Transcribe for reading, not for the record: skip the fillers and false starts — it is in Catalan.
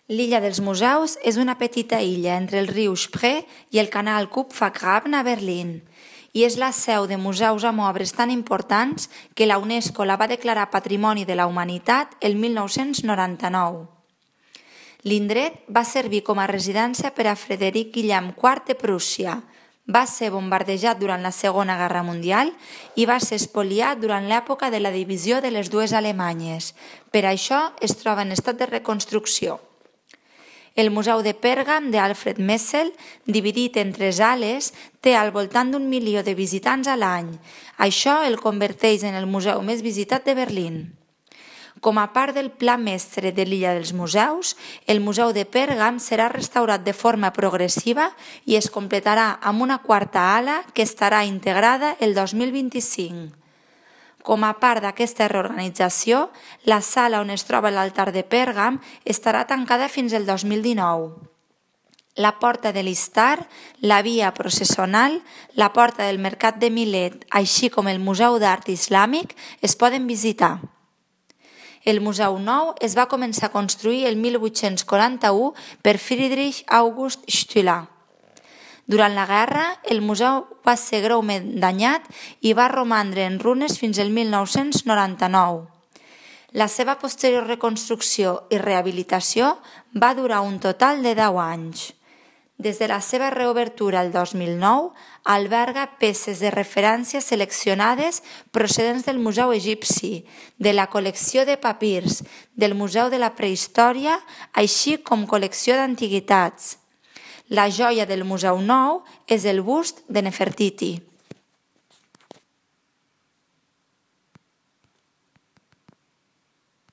L'illa dels Museus és una petita illa entre el riu Spree i el canal Kupfergraben a Berlín i és la seu de museus amb obres tan importants que la UNESCO la va declarar Patrimoni de la Humanitat el 1999. L'indret va servir com a residència per a Frederic Guillem IV de Prússia, va ser bombardejat durant la Segona Guerra Mundial i va ser espoliat durant l'època de la divisió de les dues Alemanyes. Per això es troba en estat de reconstrucció. El Museu de Pèrgam d'Alfred Messel, dividit en 3 ales, té al voltant d'1 milió de visitants a l'any. Això el converteix en el museu més visitat de Berlín. Com a part del pla mestre de l'illa dels museus, el Museu de Pèrgam serà restaurat de forma progressiva i es completarà amb una 4a ala que estarà integrada el 2025. Com a part d'aquesta reorganització, la sala on es troba l'altar de Pèrgam estarà tancada fins al 2019. La porta de l'Istar, la via processional, la porta del Mercat de Milet, així com el Museu d'Art Islàmic, es poden visitar. El Museu Nou es va començar a construir el 1841 per Friedrich August Stüler. Durant la guerra, el museu va ser greument danyat i va romandre en runes fins al 1999. La seva posterior reconstrucció i rehabilitació va durar un total de 10 anys. Des de la seva reobertura el 2009, alberga peces de referència seleccionades procedents del Museu Egipci, de la col·lecció de papirs, del Museu de la Prehistòria, així com col·lecció d'antiguitats. La joia del Museu Nou és el bust de Nefertiti.